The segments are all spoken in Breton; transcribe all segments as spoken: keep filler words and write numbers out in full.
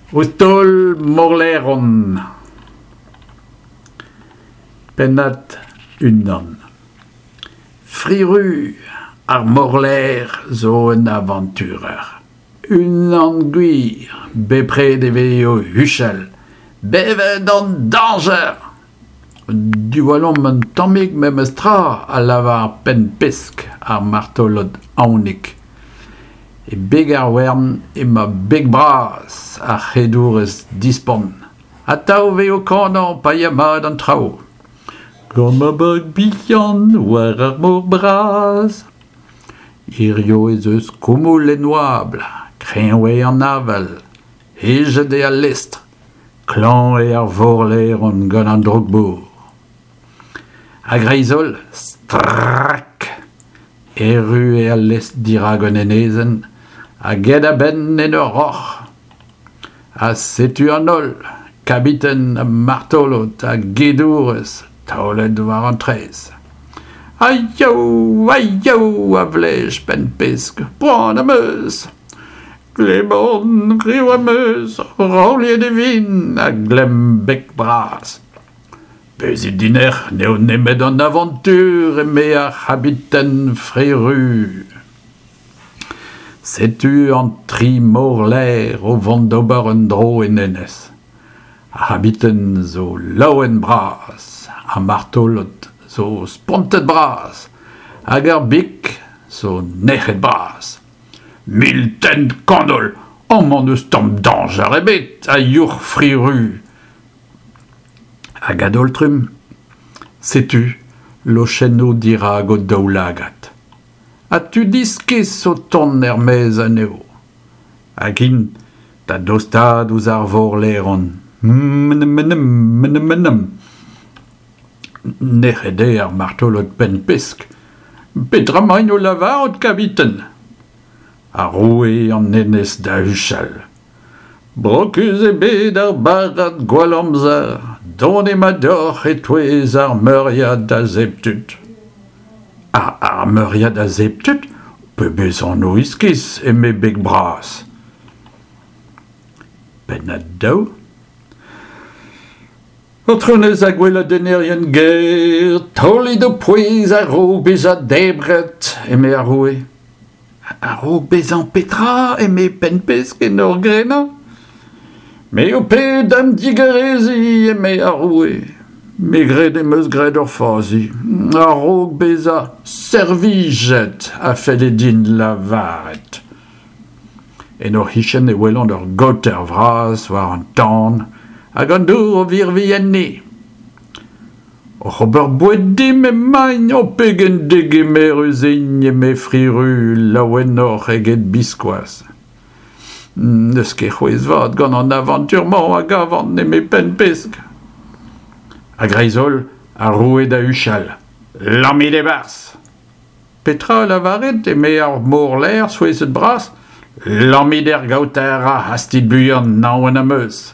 Ouzh taol morlaeron. Pennad unan. Fri-Ru, ar morlaer zo un avanturer. Unan gwir, bepred e vez o huchal. Bevet an dañjer ! Diwallomp un tammig memes tra, a lavar Penn-Pesk, ar martolod aonik. E beg ar wern emañ Beg-Bras, ar c'hedourez dispont. Atav e vez o kanañ pa ya mat an traoù. Gant ma bag bihan war ar mor bras. Hiziv ez eus koumoul en oabl, kreñv eo an avel, hejet eo al lestr, klañv eo ar vorlaeron gant an droug-mor. A-greiz-holl, strak ! Erru eo al lestr dirak un enezenn hag aet a-benn en ur roc'h. Ha setu an holl, kabiten ha martolod ha gedourez, taolet war an traezh. Aiou, aiou, a vlej Penn-Pesk, poan am eus. Gleb on, riv am eus, raouliet e vin, a glemm Beg-Bras. Bezit dinec'h, n'eo nemet an avantur, eme ar c'habiten Fri-Ru. Setu an tri morlaer o vont d'ober un dro en enez. Ar c'habiten zo laouen-bras, ar martolod zo spontet-bras, hag ar big zo nec'het-bras. Mil tenn kanol, amañ n'eus tamm dañjer ebet, a youc'h Fri-Ru. Hag a-daol-trumm, setu lochennoù dirak o daoulagad. Ha tud iskis o tont er-maez anezho. Hag int da dostaat ouzh ar vorlaeron. Mnmnm. Nec'het eo ar martolod Penn-Pesk. Petra emaint o lavarout, kabiten ? Ar roue an enez da huchal. Brokus eo bet ar barrad gwallamzer, donemat deoc'h e-touez ar meuriad a zebr tud. Ar, ar meuriad a zebr tud ? Pebezh anv iskis, eme Beg-Bras. Pennad daou. Aotrounez ha gweladennerien ger, taolit ho pouez a-raok bezañ debret, eme ar roue. A-raok bezañ petra, eme Penn-Pesk en ur grenañ. Me ho ped da'm digareziñ, eme ar roue. Me 'gred em eus graet ur fazi. A-raok bezañ servijet, a felle din lavaret. En o c'hichen e welont ur gaoter vras war an tan hag an dour o virviñ enni. Oc'h ober boued dimp emaint, o pegen degemerus int, eme Fri-Ru, laouenoc'h eget biskoazh. N'eus ket c'hwezh vat gant an avantur-mañ a gavan, eme Penn-Pesk. A-greiz-holl, ar roue da huchal. Lammit e-barzh ! Petra a lavarit, eme ar morlaer souezhet-bras. Lammit er gaoter ha hastit buan, naon am eus.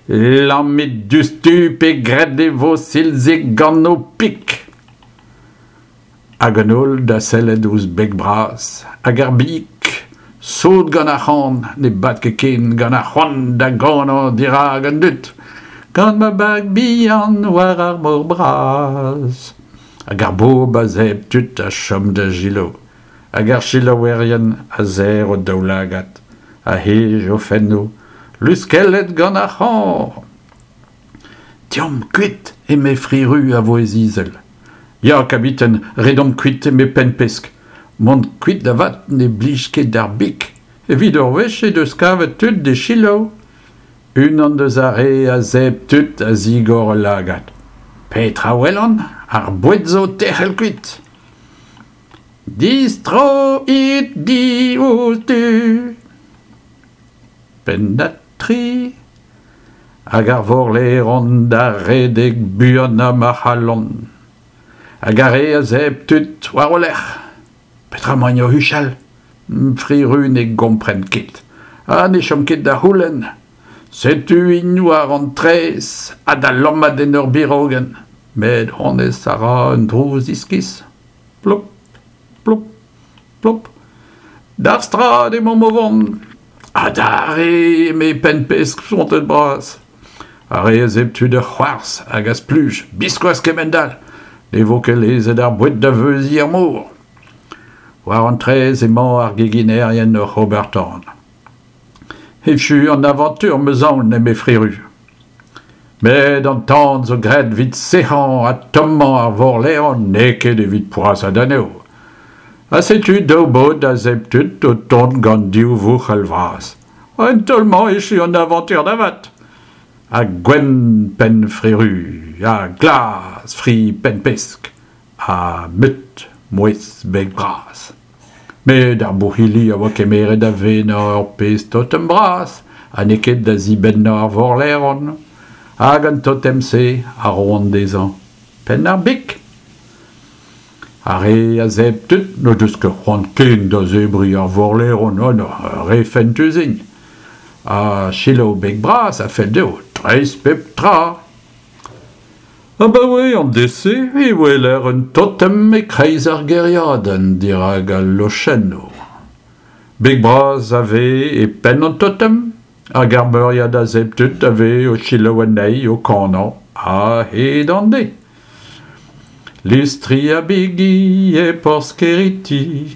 Lammit diouzhtu pe graet e vo silzig gant ho pik. Hag an holl da sellet ouzh Beg-Bras hag ar big, sot gant ar c'han, ne bad ket ken gant ar c'hoant da ganañ dirak an dud. Gant ma bag bihan war ar mor bras. Hag ar bobl a zebr tud a chom da selaou. Hag ar selaouerien a serr o daoulagad, a hej o fennoù, luskellet gant ar c'han. Deomp kuit, eme Fri-Ru a vouezh izel. Ya, kabiten, redomp kuit, eme Penn-Pesk. Mont kuit avat ne blij ket d'ar big. Evit ur wech he deus kavet tud d'e selaou. Unan deus ar re a zebr tud a zigor ul lagad. Petra 'welan ? Ar boued zo o tec'hel kuit. Distroit diouzhtu. Pennad tri. Hag ar vorlaeron da redek buanañ ma c'hallont. Hag ar re a zebr tud war o lerc'h. Petra emaint o huchal ? Fri-Ru ne gompren ket. Ha ne chom ket da c'houlenn. Setu int war an traezh ha da lammat en ur birogenn. Met honnezh a ra un drouz iskis. Plop, plop, plop. D'ar strad emaomp o vont. Adarre, eme Penn-Pesk spontet-bras. Ar re a zebr tud a c'hoarzh hag a spluj, biskoazh kemend-all. Ne vo ket lezet ar boued da veuziñ er mor. War an traezh emañ ar geginerien oc'h ober tan. Echu an avantur 'm eus aon, eme Fri-Ruz. Met an tan zo graet evit sec'hañ ha tommañ ar vorlaeron, n'eo ket evit poazhat anezho. Ha setu daou baotr a zebr tud o tont gant div vouc'hal vras. En taol-mañ echu an avantur da vat. Ha gwenn penn Fri-Ruz, ha glas fri Penn-Pesk, ha mut mouezh Beg-Bras. Met ar bouc'hili a oa kemeret da venañ ur pezh totem bras, ha n'eo ket da zibennañ ar vorlaeron. Hag an totem-se a roont dezhañ penn ar big. Ar re a zebr tud n'o deus ket c'hoant ken da zebriñ ar vorlaeron, oh non, re fentus int. Ha selaou Beg-Bras a fell dezho dreist pep tra. Abaoe an deiz-se e weler un totem e-kreiz ar gêriadenn dirak al lochennoù. Beg-Bras a vez e penn an totem, hag ar meuriad a zebr tud a vez o selaou anezhi o kanañ a-hed an deiz. Listri ha bigi e porzh Keriti.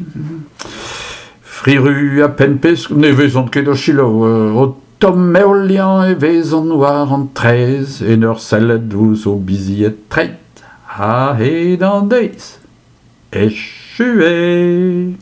Fri-Ruz ha Penn-Pesk ne vezont ket o selaou, o tommeoliañ e vezont war an traezh en ur sellet ouzh o bizied treid a-hed an deiz. Echu eo.